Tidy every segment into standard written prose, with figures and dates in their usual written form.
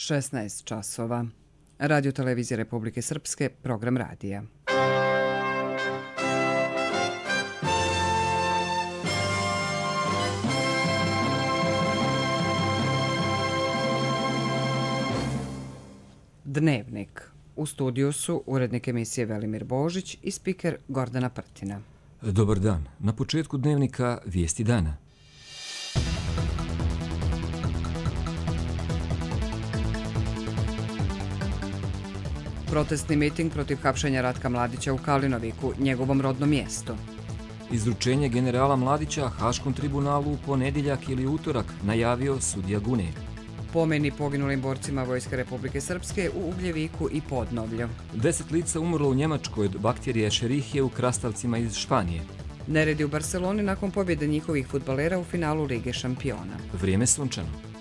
16 časova. Radio Televizija Republike Srpske, program radija. Dnevnik. U studiju su urednik emisije Velimir Božić i spiker Gordana Prtina. Dobar dan. Na početku dnevnika vijesti dana. Protestni miting protiv hapšenja Ratka Mladića u Kalinoviku, njegovom rodnom mjestu. Izručenje generala Mladića Haškom tribunalu u ponedjeljak ili utorak, najavio sudija Gune. Pomeni poginulim borcima Vojske Republike Srpske u Ugljeviku i Podnovlju. 10 lica umrlo u Njemačkoj od bakterije Escherichie u krastavcima iz Španije. Neredi u Barceloni nakon pobjede njihovih fudbalera u finalu Lige šampiona. Vrijeme sunčano.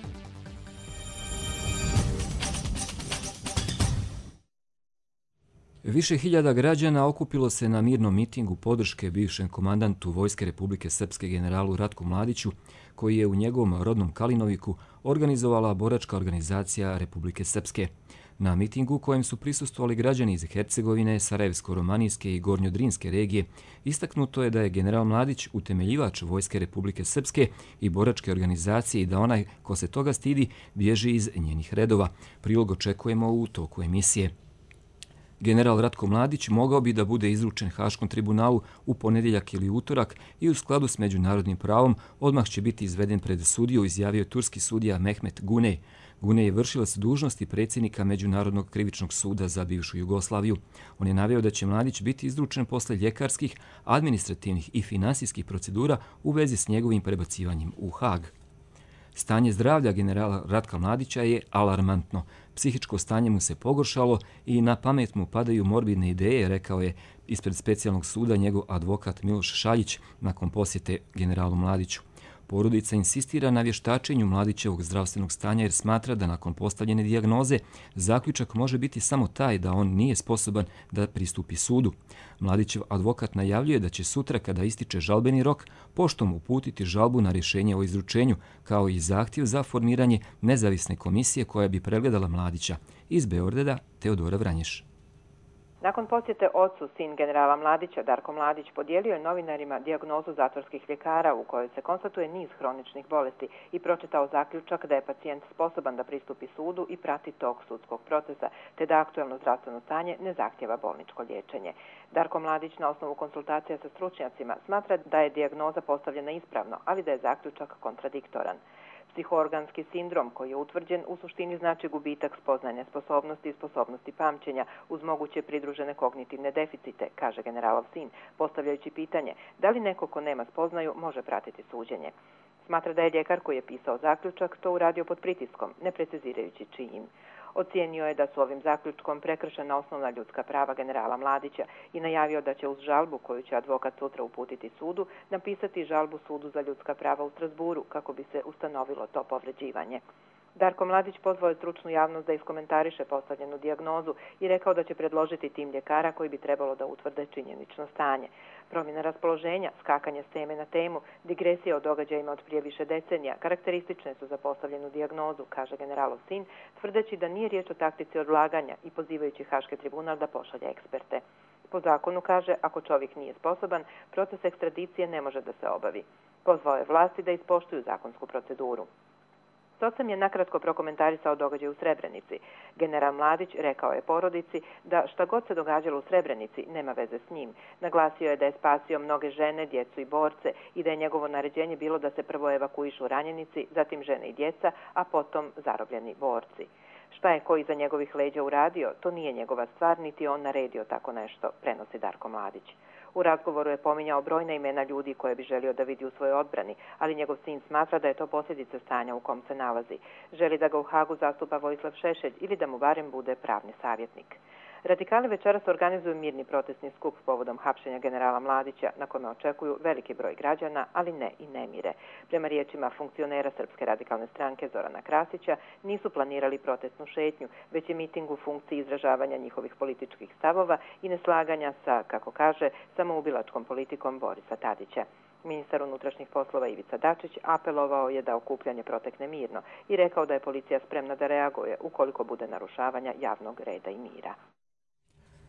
Više hiljada građana okupilo se na mirnom mitingu podrške bivšem komandantu Vojske Republike Srpske generalu Ratku Mladiću, koji je u njegovom rodnom Kalinoviku organizovala boračka organizacija Republike Srpske. Na mitingu kojem su prisustvovali građani iz Hercegovine, Sarajevsko-romanijske i Gornjodrinske regije, istaknuto je da je general Mladić utemeljivač Vojske Republike Srpske i boračke organizacije i da onaj ko se toga stidi bježi iz njenih redova. Prilog očekujemo u toku emisije. General Ratko Mladić mogao bi da bude izručen Haškom tribunalu u ponedjeljak ili utorak i u skladu s međunarodnim pravom odmah će biti izveden pred sudiju, izjavio turski sudija Mehmet Gunej. Gunej je vršilac dužnosti predsjednika Međunarodnog krivičnog suda za bivšu Jugoslaviju. On je naveo da će Mladić biti izručen posle ljekarskih, administrativnih i finansijskih procedura u vezi s njegovim prebacivanjem u Hag. Stanje zdravlja generala Ratka Mladića je alarmantno. Psihičko stanje mu se pogoršalo i na pamet mu padaju morbidne ideje, rekao je ispred specijalnog suda njegov advokat Miloš Šaljić nakon posjete generalu Mladiću. Porodica insistira na vještačenju Mladićevog zdravstvenog stanja jer smatra da nakon postavljene dijagnoze zaključak može biti samo taj da on nije sposoban da pristupi sudu. Mladićev advokat najavljuje da će sutra, kada ističe žalbeni rok, poštom uputiti žalbu na rješenje o izručenju, kao i zahtjev za formiranje nezavisne komisije koja bi pregledala Mladića. Iz Beograda, Teodora Vranješ. Nakon posjete ocu, sin generala Mladića, Darko Mladić, podijelio je novinarima dijagnozu zatvorskih ljekara u kojoj se konstatuje niz hroničnih bolesti i pročitao zaključak da je pacijent sposoban da pristupi sudu i prati tok sudskog procesa, te da aktuelno zdravstveno stanje ne zahtjeva bolničko liječenje. Darko Mladić na osnovu konsultacija sa stručnjacima smatra da je dijagnoza postavljena ispravno, ali da je zaključak kontradiktoran. Psihoorganski sindrom koji je utvrđen u suštini znači gubitak spoznajne sposobnosti i sposobnosti pamćenja uz moguće pridružene kognitivne deficite, kaže generalov sin, postavljajući pitanje da li neko ko nema spoznaju može pratiti suđenje. Smatra da je ljekar koji je pisao zaključak to uradio pod pritiskom, ne precizirajući čijim. Ocijenio je da su ovim zaključkom prekršena osnovna ljudska prava generala Mladića i najavio da će uz žalbu koju će advokat sutra uputiti sudu napisati žalbu sudu za ljudska prava u Strasburu kako bi se ustanovilo to povređivanje. Darko Mladić pozvao je stručnu javnost da iskomentariše postavljenu dijagnozu i rekao da će predložiti tim ljekara koji bi trebalo da utvrde činjenično stanje. Promjena raspoloženja, skakanje s teme na temu, digresija o događajima od prije više decenija karakteristične su za postavljenu dijagnozu, kaže generalov sin, tvrdeći da nije riječ o taktici odlaganja i pozivajući Haški tribunal da pošalje eksperte. Po zakonu, kaže, ako čovjek nije sposoban, proces ekstradicije ne može da se obavi. Pozvao je vlasti da ispoštuju zakonsku proceduru. Socem je nakratko prokomentarisao događaj u Srebrenici. General Mladić rekao je porodici da šta god se događalo u Srebrenici nema veze s njim. Naglasio je da je spasio mnoge žene, djecu i borce i da je njegovo naređenje bilo da se prvo evakuišu ranjenici, zatim žene i djeca, a potom zarobljeni borci. Šta je ko iza njegovih leđa uradio, to nije njegova stvar, niti on naredio tako nešto, prenosi Darko Mladić. U razgovoru je pominjao brojna imena ljudi koje bi želio da vidi u svojoj odbrani, ali njegov sin smatra da je to posljedica stanja u kom se nalazi. Želi da ga u Hagu zastupa Vojislav Šešelj ili da mu barem bude pravni savjetnik. Radikali večeras organizuju mirni protestni skup povodom hapšenja generala Mladića, na kome očekuju veliki broj građana, ali ne i nemire. Prema riječima funkcionera Srpske radikalne stranke Zorana Krasića, nisu planirali protestnu šetnju, već je miting u funkciji izražavanja njihovih političkih stavova i neslaganja sa, kako kaže, samoubilačkom politikom Borisa Tadića. Ministar unutrašnjih poslova Ivica Dačić apelovao je da okupljanje protekne mirno i rekao da je policija spremna da reaguje ukoliko bude narušavanja javnog reda i mira.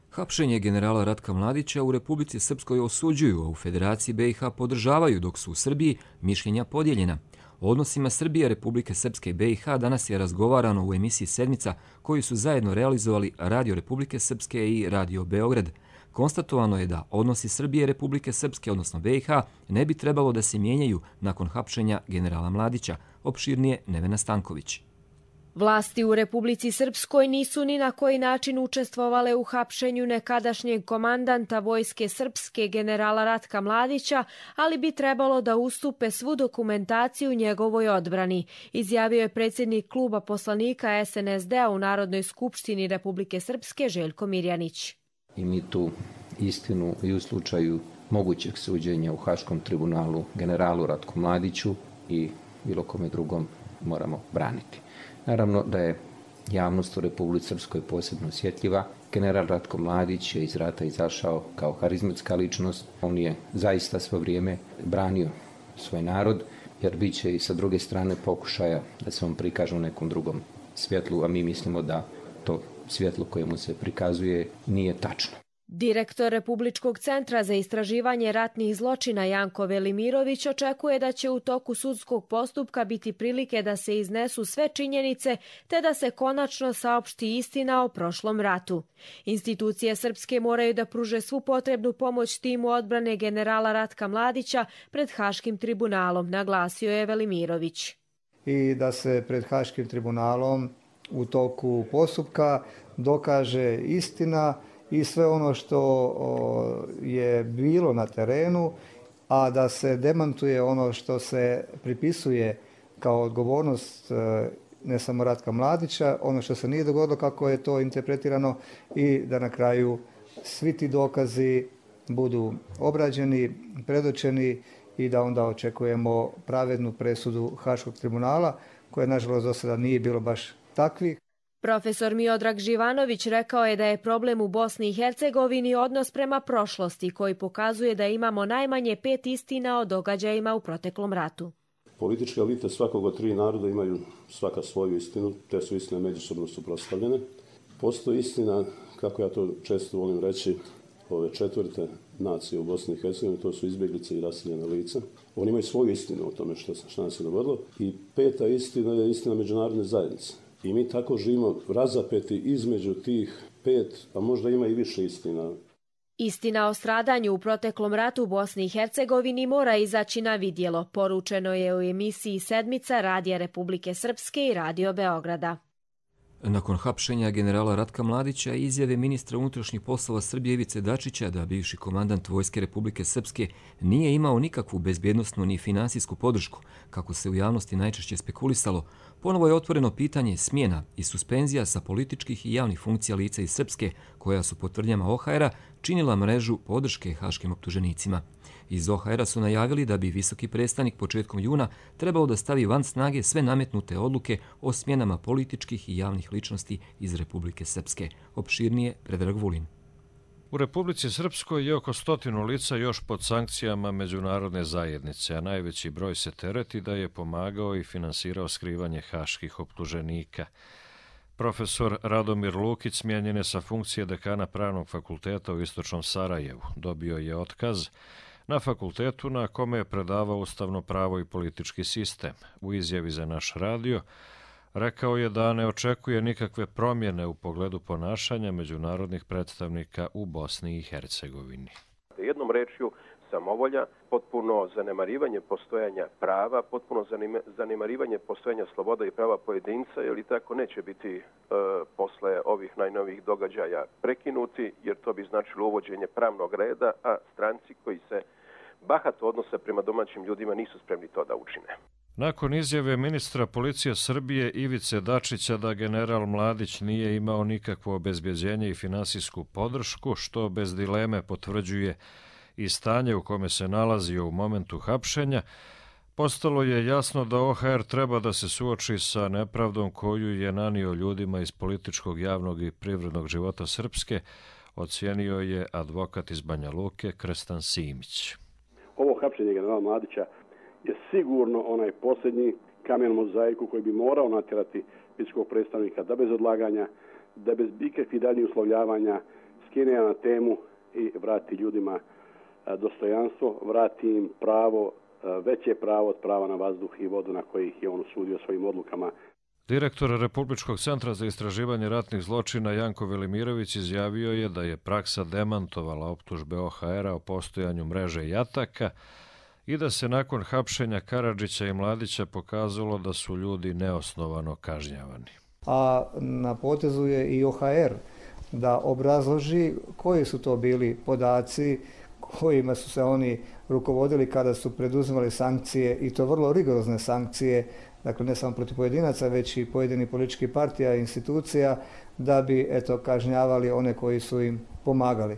Hapšenje generala Ratka Mladića u Republici Srpskoj osuđuju, a u Federaciji BiH podržavaju, dok su u Srbiji mišljenja podijeljena. O odnosima Srbije, Republike Srpske i BiH danas je razgovarano u emisiji Sedmica koju su zajedno realizovali Radio Republike Srpske i Radio Beograd. Konstatovano je da odnosi Srbije, Republike Srpske, odnosno BiH, ne bi trebalo da se mijenjaju nakon hapšenja generala Mladića, opširnije Nevena Stanković. Vlasti u Republici Srpskoj nisu ni na koji način učestvovale u hapšenju nekadašnjeg komandanta Vojske Srpske generala Ratka Mladića, ali bi trebalo da ustupe svu dokumentaciju njegovoj odbrani, izjavio je predsjednik kluba poslanika SNSD-a u Narodnoj skupštini Republike Srpske Željko Mirjanić. I mi tu istinu i u slučaju mogućeg suđenja u Haškom tribunalu generalu Ratku Mladiću i bilo kome drugom moramo braniti. Naravno da je javnost u Republici Srpskoj posebno osjetljiva. General Ratko Mladić je iz rata izašao kao harizmatska ličnost. On je zaista svo vrijeme branio svoj narod, jer bit će i sa druge strane pokušaja da se on prikaže u nekom drugom svjetlu, a mi mislimo da to svjetlo koje mu se prikazuje nije tačno. Direktor Republičkog centra za istraživanje ratnih zločina Janko Velimirović očekuje da će u toku sudskog postupka biti prilike da se iznesu sve činjenice te da se konačno saopšti istina o prošlom ratu. Institucije srpske moraju da pruže svu potrebnu pomoć timu odbrane generala Ratka Mladića pred Haškim tribunalom, naglasio je Velimirović. I da se pred Haškim tribunalom u toku postupka dokaže istina i sve ono što je bilo na terenu, a da se demantuje ono što se pripisuje kao odgovornost ne samo Ratka Mladića, ono što se nije dogodilo kako je to interpretirano i da na kraju svi ti dokazi budu obrađeni, predočeni i da onda očekujemo pravednu presudu Haškog tribunala, koja nažalost do sada nije bilo baš takvih. Profesor Miodrag Živanović rekao je da je problem u Bosni i Hercegovini odnos prema prošlosti, koji pokazuje da imamo najmanje 5 istina o događajima u proteklom ratu. Političke elite svakog od 3 naroda imaju svaka svoju istinu, te su istine međusobno suprotstavljene. Postoji istina, kako ja to često volim reći, ove 4. nacije u Bosni i Hercegovini, to su izbjeglice i raseljena lica. Oni imaju svoju istinu o tome što nam se dogodilo. I 5. istina je istina međunarodne zajednice. I mi tako živimo razapeti između tih 5, a možda ima i više istina. Istina o stradanju u proteklom ratu u Bosni i Hercegovini mora izaći na vidjelo, poručeno je u emisiji Sedmica Radija Republike Srpske i Radio Beograda. Nakon hapšenja generala Ratka Mladića i izjave ministra unutrašnjih poslova Srbije Ivice Dačića da bivši komandant Vojske Republike Srpske nije imao nikakvu bezbjednosnu ni finansijsku podršku, kako se u javnosti najčešće spekulisalo, ponovo je otvoreno pitanje smjena i suspenzija sa političkih i javnih funkcija lica iz Srpske, koja su po tvrdnjama OHR-a činila mrežu podrške haškim optuženicima. Iz OHR-a su najavili da bi visoki predstavnik početkom juna trebao da stavi van snage sve nametnute odluke o smjenama političkih i javnih ličnosti iz Republike Srpske. Opširnije Predrag Vulin. U Republici Srpskoj je oko 100 lica još pod sankcijama međunarodne zajednice, a najveći broj se tereti da je pomagao i finansirao skrivanje haških optuženika. Profesor Radomir Lukić smijenjen je sa funkcije dekana Pravnog fakulteta u Istočnom Sarajevu. Dobio je otkaz na fakultetu na kome je predavao ustavno pravo i politički sistem. U izjavi za naš radio rekao je da ne očekuje nikakve promjene u pogledu ponašanja međunarodnih predstavnika u Bosni i Hercegovini. Jednom rečju, samovolja, potpuno zanemarivanje postojanja prava, potpuno zanemarivanje postojanja sloboda i prava pojedinca, jer i tako neće biti posle ovih najnovijih događaja prekinuti, jer to bi značilo uvođenje pravnog reda, a stranci koji se bahato odnose prema domaćim ljudima nisu spremni to da učine. Nakon izjave ministra policije Srbije Ivice Dačića da general Mladić nije imao nikakvo obezbjeđenje i finansijsku podršku, što bez dileme potvrđuje i stanje u kome se nalazio u momentu hapšenja, postalo je jasno da OHR treba da se suoči sa nepravdom koju je nanio ljudima iz političkog, javnog i privrednog života Srpske, ocijenio je advokat iz Banja Luke Krstan Simić. ovo hapšenje generala Mladića je sigurno onaj posljednji kamen u mozaiku koji bi morao natjerati visokog predstavnika da bez odlaganja, da bez ikakvih daljnjih uslovljavanja skine na temu i vrati ljudima dostojanstvo, vrati im pravo, veće pravo od prava na vazduh i vodu na koji ih je on osudio svojim odlukama. Direktor Republičkog centra za istraživanje ratnih zločina Janko Velimirović izjavio je da je praksa demantovala optužbe OHR-a o postojanju mreže jataka i da se nakon hapšenja Karadžića i Mladića pokazalo da su ljudi neosnovano kažnjavani. A na potezu je i OHR da obrazloži koji su to bili podaci kojima su se oni rukovodili kada su preduzimali sankcije, i to vrlo rigorozne sankcije, dakle ne samo protiv pojedinaca, već i pojedinih političkih partija i institucija, da bi kažnjavali one koji su im pomagali.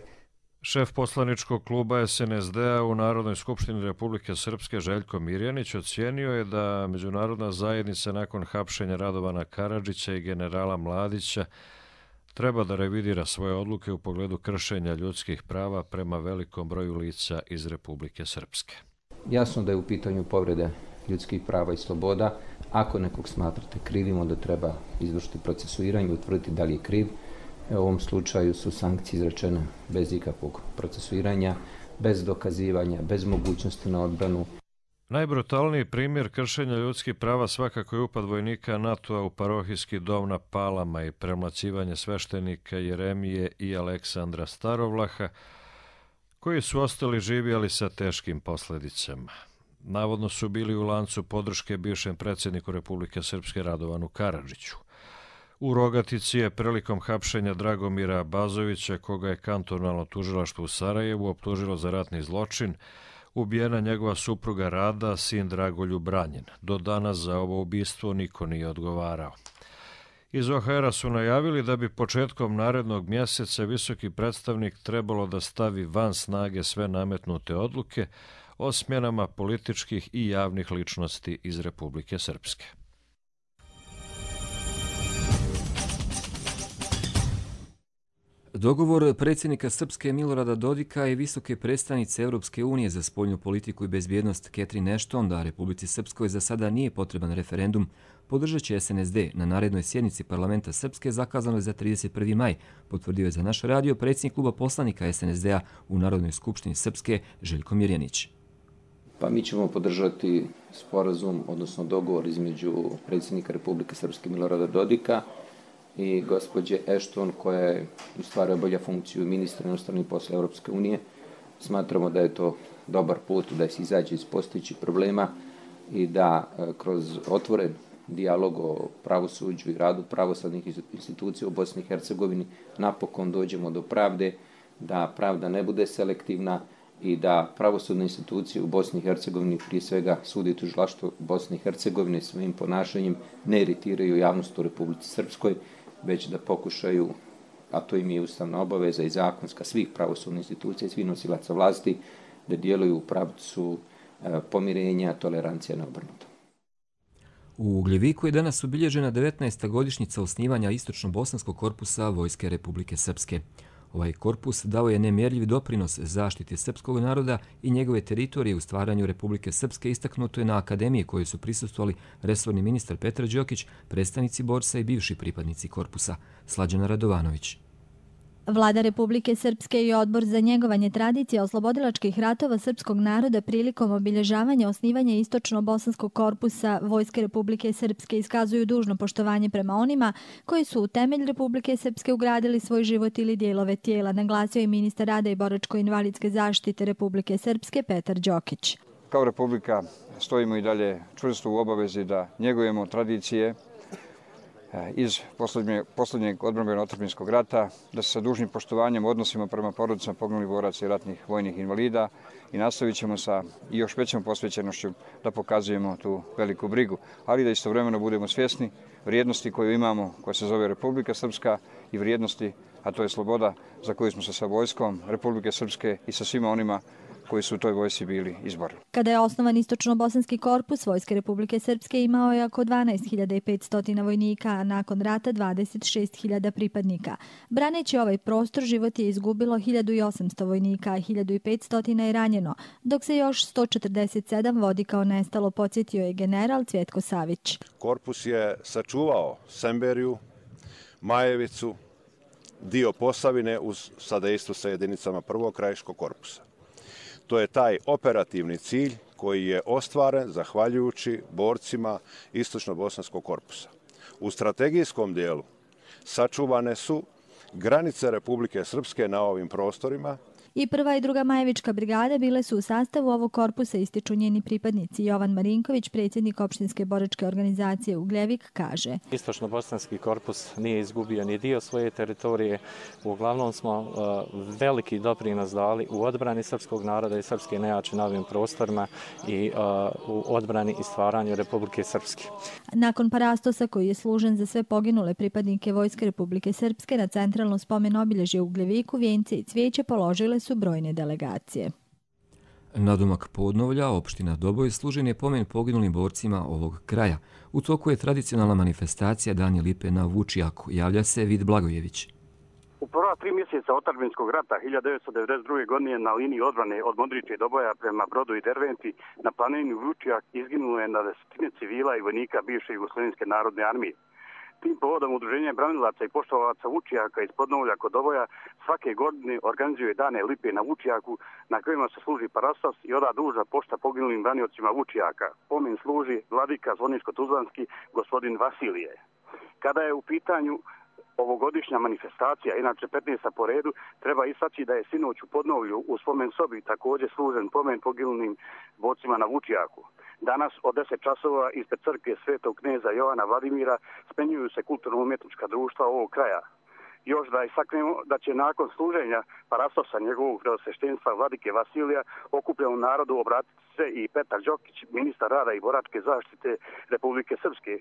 Šef poslaničkog kluba SNSD-a u Narodnoj skupštini Republike Srpske Željko Mirjanić ocijenio je da međunarodna zajednica nakon hapšenja Radovana Karadžića i generala Mladića treba da revidira svoje odluke u pogledu kršenja ljudskih prava prema velikom broju lica iz Republike Srpske. Jasno da je u pitanju povrede ljudskih prava i sloboda. Ako nekog smatrate krivim, onda treba izvršiti procesuiranje i utvrditi da li je kriv. U ovom slučaju su sankcije izrečene bez ikakvog procesuiranja, bez dokazivanja, bez mogućnosti na odbranu. Najbrutalniji primjer kršenja ljudskih prava svakako je upad vojnika NATO-a u parohijski dom na Palama i premlaćivanje sveštenika Jeremije i Aleksandra Starovlaha, koji su ostali živi, ali sa teškim posljedicama. Navodno su bili u lancu podrške bivšem predsjedniku Republike Srpske Radovanu Karadžiću. U Rogatici je prilikom hapšenja Dragomira Bazovića, koga je kantonalno tužilaštvo u Sarajevu optužilo za ratni zločin, ubijena njegova supruga Rada, sin Dragoljub Branjen. Do danas za ovo ubistvo niko nije odgovarao. Iz OHR-a su najavili da bi početkom narednog mjeseca visoki predstavnik trebalo da stavi van snage sve nametnute odluke o smjenama političkih i javnih ličnosti iz Republike Srpske. Dogovor predsjednika Srpske Milorada Dodika i visoke predstavnice Europske unije za spoljnu politiku i bezbjednost Catherine Ashton da Republici Srpskoj za sada nije potreban referendum podržat će SNSD na narednoj sjednici parlamenta Srpske zakazanoj za 31. maj, potvrdio je za naš radio predsjednik kluba poslanika SNSD-a u Narodnoj skupštini Srpske Željko Mirjanić. Pa mi ćemo podržati sporazum, odnosno dogovor između predsjednika Republike Srpske Milorada Dodika i gospođe Ashton, koja je u stvari obavlja funkciju ministra inostranih poslova Europske unije. Smatramo da je to dobar put da se izađe iz postojećih problema i da kroz otvoren dijalog o pravosuđu i radu pravosudnih institucija u Bosni i Hercegovini napokon dođemo do pravde, da pravda ne bude selektivna i da pravosudne institucije u Bosni i Hercegovini, prije svega sud i tužilaštvo Bosne i Hercegovine, svojim ponašanjem ne iritiraju javnost u Republici Srpskoj, već da pokušaju, a to im je ustavna obaveza i zakonska svih pravosudnih institucija i svih nosilaca vlasti, da djeluju u pravcu pomirenja, tolerancija neobrnuta. U Ugljeviku je danas obilježena 19. godišnjica osnivanja Istočno-bosanskog korpusa Vojske Republike Srpske. Ovaj korpus dao je nemjerljiv doprinos zaštiti srpskog naroda i njegove teritorije u stvaranju Republike Srpske, istaknuto je na akademiji koje su prisustvovali resorni ministar Petar Đokić, predstavnici borsa i bivši pripadnici korpusa. Slađana Radovanović. Vlada Republike Srpske i Odbor za njegovanje tradicije oslobodilačkih ratova srpskog naroda prilikom obilježavanja osnivanja Istočno-bosanskog korpusa Vojske Republike Srpske iskazuju dužno poštovanje prema onima koji su u temelj Republike Srpske ugradili svoj život ili dijelove tijela, naglasio je ministar rada i boračko-invalidske zaštite Republike Srpske Petar Đokić. Kao Republika stojimo i dalje čvrsto u obavezi da njegujemo tradicije iz posljednjeg odbrambeno-otadžbinskog rata, da se sa dužnim poštovanjem odnosimo prema porodicama poginulih boraca i ratnih vojnih invalida i nastavit ćemo sa još većom posvećenošću da pokazujemo tu veliku brigu, ali da istovremeno budemo svjesni vrijednosti koju imamo, koja se zove Republika Srpska, i vrijednosti, a to je sloboda za koju smo se sa vojskom Republike Srpske i sa svima onima koji su u toj vojsci bili izborili. Kada je osnovan Istočno-bosanski korpus Vojske Republike Srpske, imao je oko 12.500 vojnika, a nakon rata 26.000 pripadnika. Braneći ovaj prostor, život je izgubilo 1.800 vojnika, a 1.500 je ranjeno, dok se još 147 vodi kao nestalo, podsjetio je general Cvjetko Savić. Korpus je sačuvao Semberiju, Majevicu, dio Posavine uz sadejstvo sa jedinicama prvog krajiškog korpusa. To je taj operativni cilj koji je ostvaren zahvaljujući borcima Istočno-bosanskog korpusa. U strategijskom dijelu sačuvane su granice Republike Srpske na ovim prostorima. I prva i druga Majevička brigada bile su u sastavu ovog korpusa, ističu njeni pripadnici. Jovan Marinković, predsjednik opštinske boračke organizacije Ugljevik, kaže: Istočno-bosanski korpus nije izgubio ni dio svoje teritorije. Uglavnom smo veliki doprinos dali u odbrani srpskog naroda i srpske nejače na ovim prostorima i u odbrani i stvaranju Republike Srpske. Nakon parastosa koji je služen za sve poginule pripadnike Vojske Republike Srpske, na centralno spomen obilježje u Ugljeviku vijence i cvijeće položile su brojne delegacije. Nadomak Podnovlja, opština Doboj, služen je pomen poginulim borcima ovog kraja. U toku je tradicionalna manifestacija Dani lipe na Vučijaku. Javlja se Vid Blagojević. U prva 3 mjeseca otadžbinskog rata 1992. godine na liniji odbrane od Modriče i Doboja prema Brodu i Derventi na planini Vučijak izginulo je na desetine civila i vojnika bivše Jugoslovenske narodne armije. Tim povodom Udruženje branilaca i poštovalaca Vučijaka iz Podnovlja kod Doboja svake godine organizuje dane lipe na Vučijaku na kojima se služi parastos i oda duža pošta poginulim braniocima Vučijaka. Pomen služi vladika Zvoničko-Tuzlanski gospodin Vasilije. Kada je u pitanju ovogodišnja manifestacija, inače 15. po redu, treba istaći da je sinoć u Podnovlju u spomen sobi također služen pomen poginulim borcima na Vučijaku. Danas od 10 časova ispred crkve Svetog kneza Jovana Vladimira smenjuju se kulturno-umjetnička društva ovog kraja. Još da istaknemo da će nakon služenja parastosa njegovog preosveštenstva vladike Vasilija okupljenom narodu obratiti se i Petar Đokić, ministar rada i boračke zaštite Republike Srpske,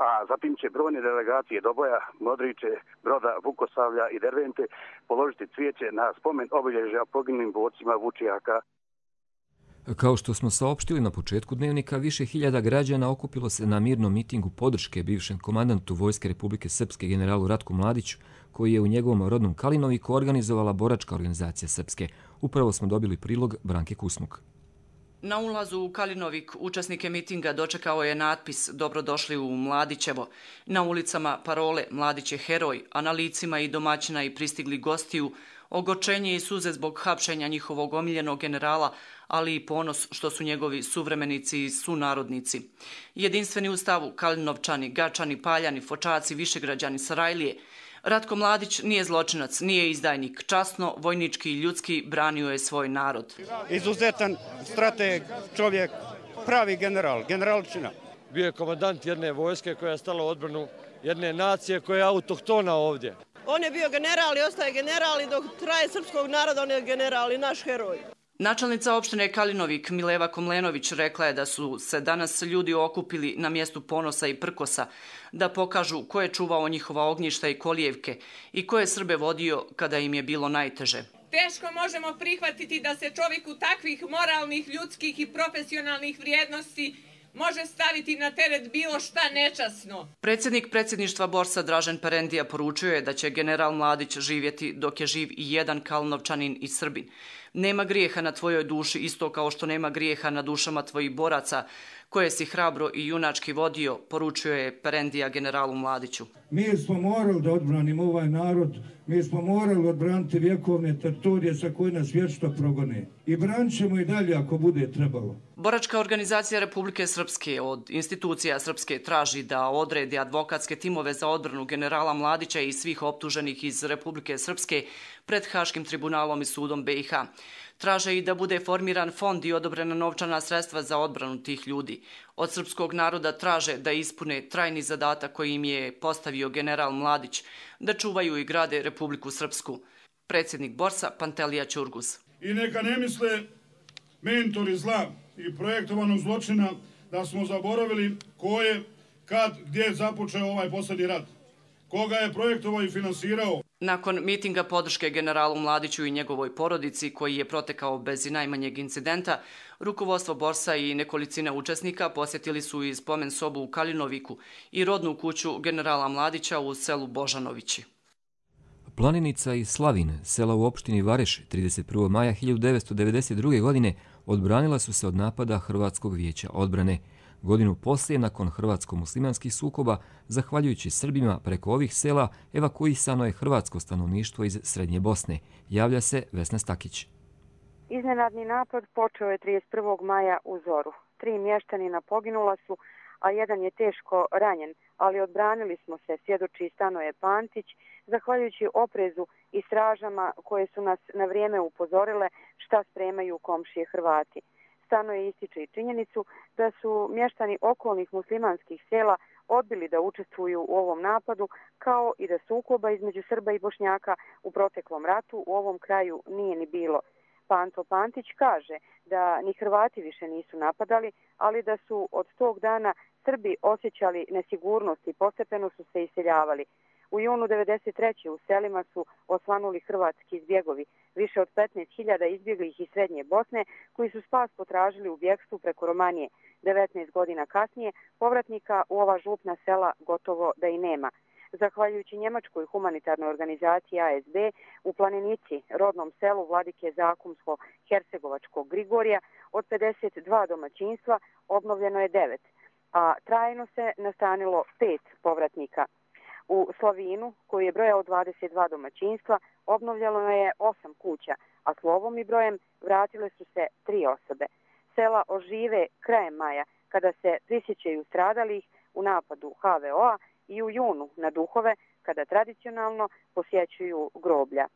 a zatim će brojne delegacije Doboja, Modriče, Broda, Vukosavlja i Dervente položiti cvijeće na spomen obilježja poginulim borcima Vučijaka. Kao što smo saopštili na početku dnevnika, više hiljada građana okupilo se na mirnom mitingu podrške bivšem komandantu Vojske Republike Srpske generalu Ratku Mladiću, koji je u njegovom rodnom Kalinoviku organizovala boračka organizacija Srpske. Upravo smo dobili prilog Branke Kusmuk. Na ulazu u Kalinovik učesnike mitinga dočekao je natpis "Dobrodošli u Mladićevo". Na ulicama parole "Mladić je heroj", a na licima i domaćina i pristigli gostiju ogorčenje i suze zbog hapšenja njihovog omiljenog generala, ali i ponos što su njegovi suvremenici i sunarodnici. Jedinstveni u stavu Kalinovčani, Gačani, Paljani, Fočaci, Višegrađani, Sarajlije. Ratko Mladić nije zločinac, nije izdajnik. Časno, vojnički i ljudski branio je svoj narod. Izuzetan strateg, čovjek, pravi general, generalčina. Bio je komandant jedne vojske koja je stala u odbranu jedne nacije koja je autohtona ovdje. On je bio general i ostaje general i dok traje srpskog naroda on je general i naš heroj. Načelnica opštine Kalinovik Mileva Komlenović rekla je da su se danas ljudi okupili na mjestu ponosa i prkosa da pokažu ko je čuvao njihova ognjišta i kolijevke i ko je Srbe vodio kada im je bilo najteže. Teško možemo prihvatiti da se čovjeku takvih moralnih, ljudskih i profesionalnih vrijednosti može staviti na teret bilo šta nečasno. Predsjednik predsjedništva Borsa Dražen Perendija poručio je da će general Mladić živjeti dok je živ i jedan Kalinovčanin i Srbin. Nema grijeha na tvojoj duši isto kao što nema grijeha na dušama tvojih boraca koje si hrabro i junački vodio, poručio je Perendija generalu Mladiću. Mi smo morali da odbranimo ovaj narod, mi smo morali odbraniti vjekovne teritorije sa koje nas vječno progone. I branit ćemo i dalje ako bude trebalo. Boračka organizacija Republike Srpske od institucija Srpske traži da odredi advokatske timove za odbranu generala Mladića i svih optuženih iz Republike Srpske pred Haškim tribunalom i sudom BiH. Traže i da bude formiran fond i odobrena novčana sredstva za odbranu tih ljudi. Od srpskog naroda traže da ispune trajni zadatak koji im je postavio general Mladić, da čuvaju i grade Republiku Srpsku. Predsjednik Borsa Pantelija Ćurgus. I neka ne misle mentori zla i projektovanog zločina da smo zaboravili ko je, kad, gdje započeo ovaj posljednji rat. koga je projektovao i finansirao. Nakon mitinga podrške generalu Mladiću i njegovoj porodici, koji je protekao bez i najmanjeg incidenta, rukovodstvo borsa i nekolicina učesnika posjetili su i spomen sobu u Kalinoviku i rodnu kuću generala Mladića u selu Božanovići. Planinica i Slavin, sela u opštini Vareš, 31. maja 1992. godine odbranila su se od napada Hrvatskog vijeća odbrane. Godinu poslije, nakon hrvatsko-muslimanskih sukoba, zahvaljujući Srbima, preko ovih sela evakuisano je hrvatsko stanovništvo iz Srednje Bosne. Javlja se Vesna Stakić. Iznenadni napad počeo je 31. maja u zoru. 3 mještanina poginula su, a jedan je teško ranjen, ali odbranili smo se, svjedoči Stanoje Pantić, zahvaljujući oprezu i stražama koje su nas na vrijeme upozorile šta spremaju komšije Hrvati. Stanoje ističe i činjenicu da su mještani okolnih muslimanskih sela odbili da učestvuju u ovom napadu, kao i da sukoba između Srba i Bošnjaka u proteklom ratu u ovom kraju nije ni bilo. Panto Pantić kaže da ni Hrvati više nisu napadali, ali da su od tog dana Srbi osjećali nesigurnost i postepeno su se iseljavali. U junu 1993. u selima su osvanuli hrvatski zbjegovi, više od 15.000 izbjeglih iz Srednje Bosne, koji su spas potražili u bjegstvu preko Romanije. 19 godina kasnije povratnika u ova župna sela gotovo da i nema. Zahvaljujući njemačkoj humanitarnoj organizaciji ASB, u Planinici, rodnom selu Vladike Zakumsko-Hercegovačkog Grigorija, od 52 domaćinstva obnovljeno je 9, a trajno se nastanilo 5 povratnika. U Slavinu, koji je brojao 22 domaćinstva, obnovljeno je 8 kuća, a slovom i brojem vratile su se 3 osobe. Sela ožive krajem maja, kada se prisjećaju stradalih u napadu HVO-a, i u junu na Duhove, kada tradicionalno posjećuju groblja.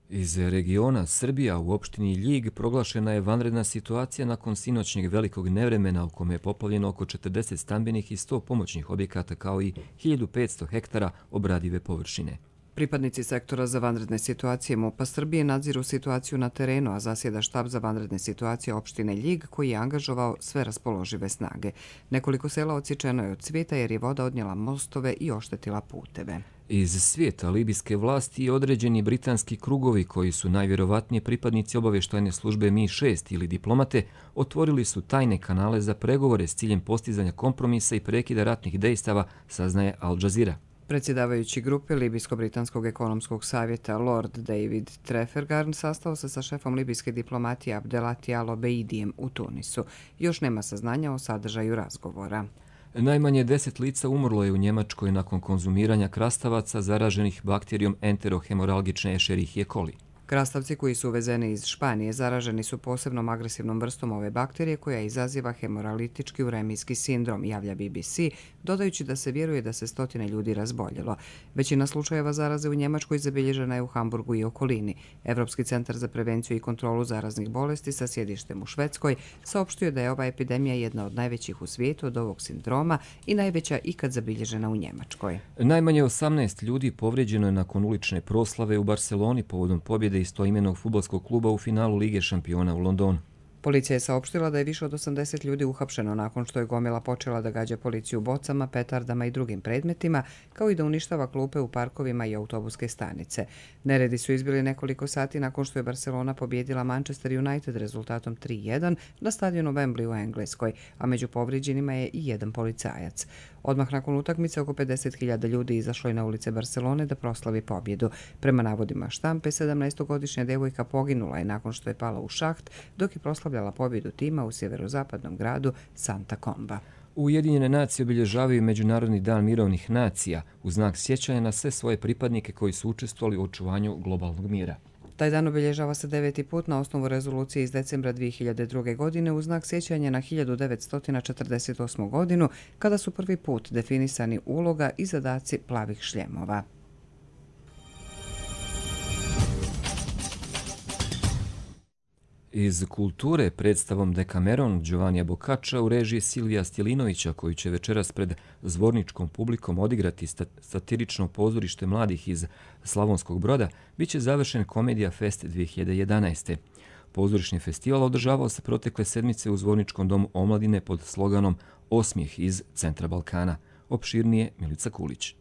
Iz regiona Srbija u opštini Ljig proglašena je vanredna situacija nakon sinoćnjeg velikog nevremena u kome je poplavljeno oko 40 stambenih i 100 pomoćnih objekata kao i 1500 hektara obradive površine. Pripadnici sektora za vanredne situacije MUP-a Srbije nadziru situaciju na terenu, a zasjeda štab za vanredne situacije opštine Ljig koji je angažovao sve raspoložive snage. Nekoliko sela odsječeno je od cvijeta jer je voda odnijela mostove i oštetila puteve. Iz svijeta libijske vlasti i određeni britanski krugovi koji su najvjerovatnije pripadnici obavještajne službe MI6 ili diplomate otvorili su tajne kanale za pregovore s ciljem postizanja kompromisa i prekida ratnih dejstava, saznaje Al Jazeera. Predsjedavajući grupe Libijsko-britanskog ekonomskog savjeta Lord David Trafalgar sastao se sa šefom libijske diplomatije Abdelati Al-Obeidijem u Tunisu. Još nema saznanja o sadržaju razgovora. Najmanje 10 lica umrlo je u Njemačkoj nakon konzumiranja krastavaca zaraženih bakterijom enterohemoralgične Escherichie coli. Krastavci koji su uvezeni iz Španije zaraženi su posebnom agresivnom vrstom ove bakterije koja izaziva hemoralitički uremijski sindrom, javlja BBC, dodajući da se vjeruje da se stotine ljudi razboljelo. Većina slučajeva zaraze u Njemačkoj zabilježena je u Hamburgu i okolini. Evropski centar za prevenciju i kontrolu zaraznih bolesti sa sjedištem u Švedskoj saopštio da je ova epidemija jedna od najvećih u svijetu od ovog sindroma i najveća ikad zabilježena u Njemačkoj. Najmanje 18 ljudi povrijeđeno je nakon ulične proslave u Barceloni povodom pobjede istoimenog fudbalskog kluba u finalu Lige šampiona u Londonu. Policija je saopštila da je više od 80 ljudi uhapšeno nakon što je gomila počela da gađa policiju bocama, petardama i drugim predmetima, kao i da uništava klupe u parkovima i autobuske stanice. Neredi su izbili nekoliko sati nakon što je Barcelona pobjedila Manchester United rezultatom 3-1 na stadionu Wembley u Engleskoj, a među povrijeđenima je i jedan policajac. Odmah nakon utakmice oko 50.000 ljudi izašlo je na ulice Barcelone da proslavi pobjedu. Prema navodima štampe, 17-godišnja devojka poginula je nakon što je pala u šaht, dok je proslavljala pobjedu tima u sjeverozapadnom gradu Santa Comba. Ujedinjene nacije obilježavaju Međunarodni dan mirovnih nacija u znak sjećanja na sve svoje pripadnike koji su učestvovali u očuvanju globalnog mira. Taj dan obilježava se 9. put na osnovu rezolucije iz decembra 2002. godine u znak sjećanja na 1948. godinu, kada su prvi put definisani uloga i zadaci plavih šljemova. Iz kulture predstavom Dekameron Giovannija Boccaccia u režiji Silvija Stjelinovića, koji će večeras pred zvorničkom publikom odigrati satirično pozorište mladih iz Slavonskog Broda, bit će završen Komedija Fest 2011. pozorišni festival održavao se protekle sedmice u Zvorničkom domu omladine pod sloganom Osmijeh iz centra Balkana. Opširnije Milica Kulić.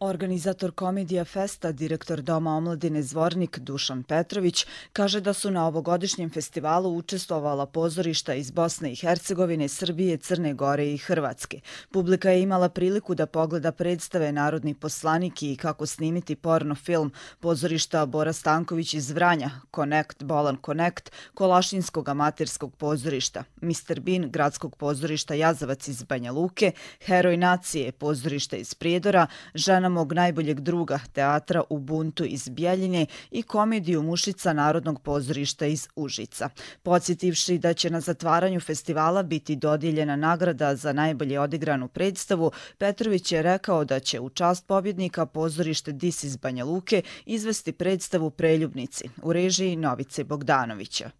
Organizator Komedija Festa, direktor Doma omladine Zvornik Dušan Petrović, kaže da su na ovogodišnjem festivalu učestvovala pozorišta iz Bosne i Hercegovine, Srbije, Crne Gore i Hrvatske. Publika je imala priliku da pogleda predstave Narodni poslanik i Kako snimiti porno film, pozorišta Bora Stanković iz Vranja, Connect, Bolan Connect, Kolašinskog amaterskog pozorišta, Mr. Bean, gradskog pozorišta Jazavac iz Banja Luke, Heroj nacije, pozorišta iz Prijedora, Žena mog najboljeg druga, teatra Ubuntu iz Bjeljine i komediju Mušica Narodnog pozorišta iz Užica. Podsjetivši da će na zatvaranju festivala biti dodijeljena nagrada za najbolje odigranu predstavu, Petrović je rekao da će u čast pobjednika pozorište Dis iz Banja Luke izvesti predstavu Preljubnici u režiji Novice Bogdanovića.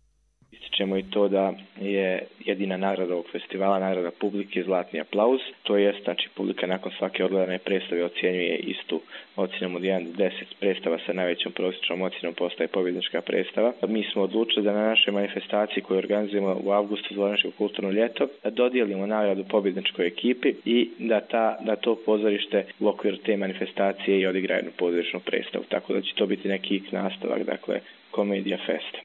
Ističemo i to da je jedina nagrada ovog festivala nagrada publike Zlatni aplauz. To jest, znači, publika nakon svake odgledane predstave ocjenjuje istu ocjenom od 1 do 10. Predstava sa najvećom prosječnom ocjenom postaje pobjednička predstava. Mi smo odlučili da na našoj manifestaciji koju organizujemo u avgustu Zvorničko kulturno ljeto da dodijelimo nagradu pobjedničkoj ekipi i da to pozorište u okviru te manifestacije i odigra jednu pozorišnu predstavu. Tako da će to biti neki nastavak, dakle, Komedija Festa.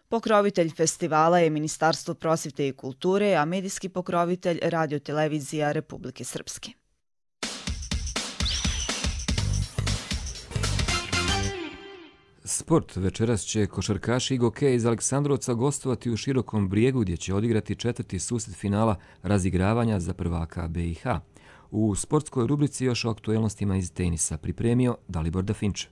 Pokrovitelj festivala je Ministarstvo prosvjete i kulture, a medijski pokrovitelj Radio-televizija Republike Srpske. Sport. Večeras će košarkaši Igoke iz Aleksandrovca gostovati u Širokom Brijegu gdje će odigrati četvrti susret finala razigravanja za prvaka BiH. U sportskoj rubrici još o aktuelnostima iz tenisa pripremio Dalibor Dafinče.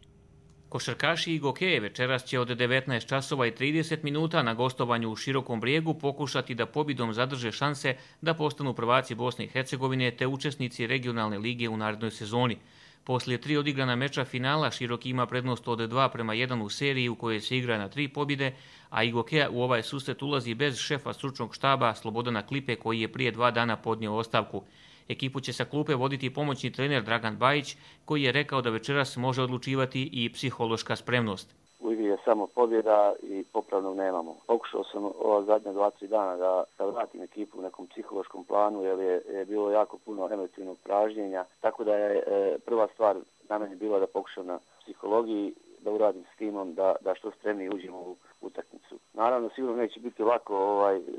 Košarkaši Igoke večeras će od 19 časova i 30 minuta na gostovanju u Širokom Brijegu pokušati da pobjedom zadrže šanse da postanu prvaci Bosne i Hercegovine te učesnici regionalne lige u narednoj sezoni. Poslije 3 odigrana meča finala Široki ima prednost od 2:1 u seriji u kojoj se igra na 3 pobjede, a Igokea u ovaj susret ulazi bez šefa stručnog štaba Slobodana Klipe koji je prije 2 dana podnio ostavku. Ekipu će sa klupe voditi pomoćni trener Dragan Bajić, koji je rekao da večeras može odlučivati i psihološka spremnost. U igri je samo pobjeda i popravnog nemamo. Pokušao sam ova zadnja 2-3 dana da vratim ekipu u nekom psihološkom planu jer je bilo jako puno emotivnog pražnjenja. Tako da je prva stvar na meni bila da pokušam na psihologiji, da uradim s timom, da što spremnije uđemo u utakmicu. Naravno, sigurno neće biti lako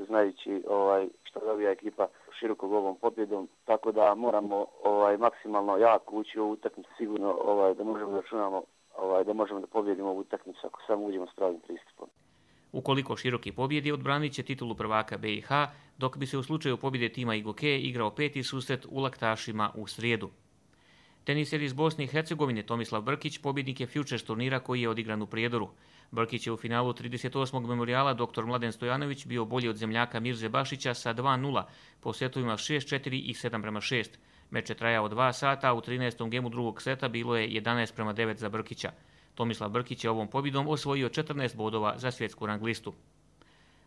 znajući što dobija ekipa Širokog ovom pobjedom, tako da moramo maksimalno jako ući u ovu utakmicu, sigurno da možemo da računamo da možemo da pobjedimo ovu utakmicu ako samo uđemo s pravim pristupom. Ukoliko Široki pobjedi, odbranit će titulu prvaka BiH, dok bi se u slučaju pobjede tima Igoke igrao 5. susret u Laktašima u srijedu. Teniser iz Bosne i Hercegovine Tomislav Brkić pobjednik je Futures turnira koji je odigran u Prijedoru. Brkić je u finalu 38. memorijala dr. Mladen Stojanović bio bolji od zemljaka Mirze Bašića sa 2:0 po setovima 6:4 i 7:6. Meč je trajao 2 sata, a u 13. gemu drugog seta bilo je 11:9 za Brkića. Tomislav Brkić je ovom pobjedom osvojio 14 bodova za svjetsku rang listu.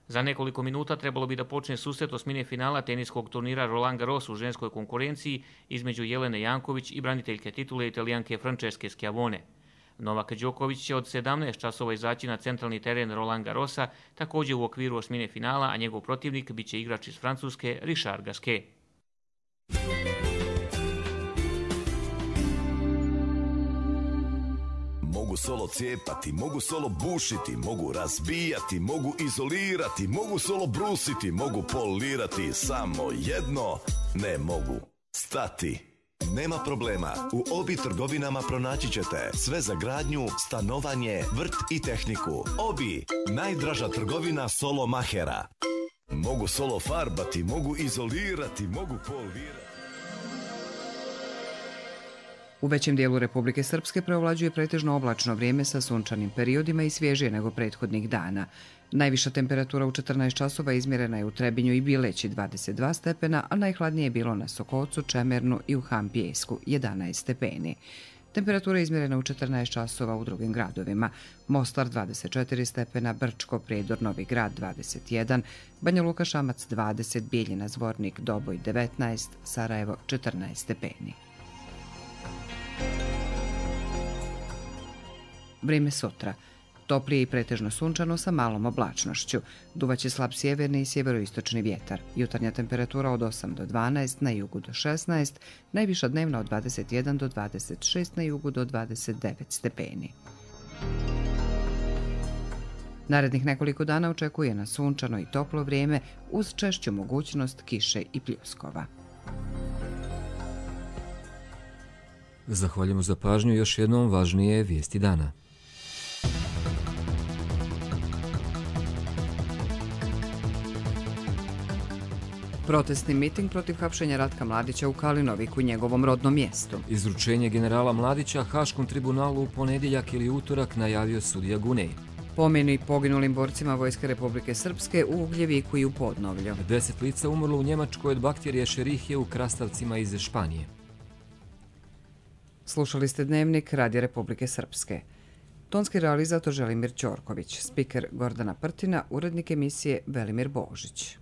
Za nekoliko minuta trebalo bi da počne susret osmine finala teniskog turnira Roland Garros u ženskoj konkurenciji između Jelene Janković i braniteljke titule Italijanke Francesche Schiavone. Novak Đoković će od 17 časova izaći na centralni teren Roland Garrosa, također u okviru osmine finala, a njegov protivnik biće igrač iz Francuske Richard Gasquet. Mogu solo cijepati, mogu solo bušiti, mogu razbijati, mogu izolirati, mogu solo brusiti, mogu polirati, samo jedno ne mogu stati. Nema problema, u Obi trgovinama pronaći ćete sve za gradnju, stanovanje, vrt i tehniku. Obi, najdraža trgovina solo mahera. Mogu solo farbati, mogu izolirati, mogu polirati. U većem dijelu Republike Srpske preovlađuje pretežno oblačno vrijeme sa sunčanim periodima i svježije nego prethodnih dana. Najviša temperatura u 14 časova izmjerena je u Trebinju i Bileći 22 stepena, a najhladnije je bilo na Sokocu, Čemernu i u Hampijesku 11 stepeni. Temperatura je izmjerena u 14 časova u drugim gradovima. Mostar 24 stepena, Brčko, Prijedor, Novi Grad 21, Banja Luka, Šamac 20, Bijeljina, Zvornik, Doboj 19, Sarajevo 14 stepeni. Vrijeme sutra. Toplije i pretežno sunčano sa malom oblačnošću. Duvaće slab sjeverni i sjeveroistočni vjetar. Jutarnja temperatura od 8 do 12, na jugu do 16, najviša dnevna od 21 do 26, na jugu do 29 stepeni. Narednih nekoliko dana očekuje nas sunčano i toplo vrijeme uz češću mogućnost kiše i pljuskova. Zahvaljujemo za pažnju, još jednom važnije vijesti dana. Protestni miting protiv hapšenja Ratka Mladića u Kalinoviku, njegovom rodnom mjestu. Izručenje generala Mladića Haškom tribunalu u ponedjeljak ili utorak najavio sudija Gunej. Pomeni poginulim borcima Vojske Republike Srpske u Ugljeviku i u Podnovlju. 10 lica umrlo u Njemačkoj od bakterije Šerihije u krastavcima iz Španije. Slušali ste Dnevnik Radija Republike Srpske. Tonski realizator Želimir Ćorković, spiker Gordana Prtina, urednik emisije Velimir Božić.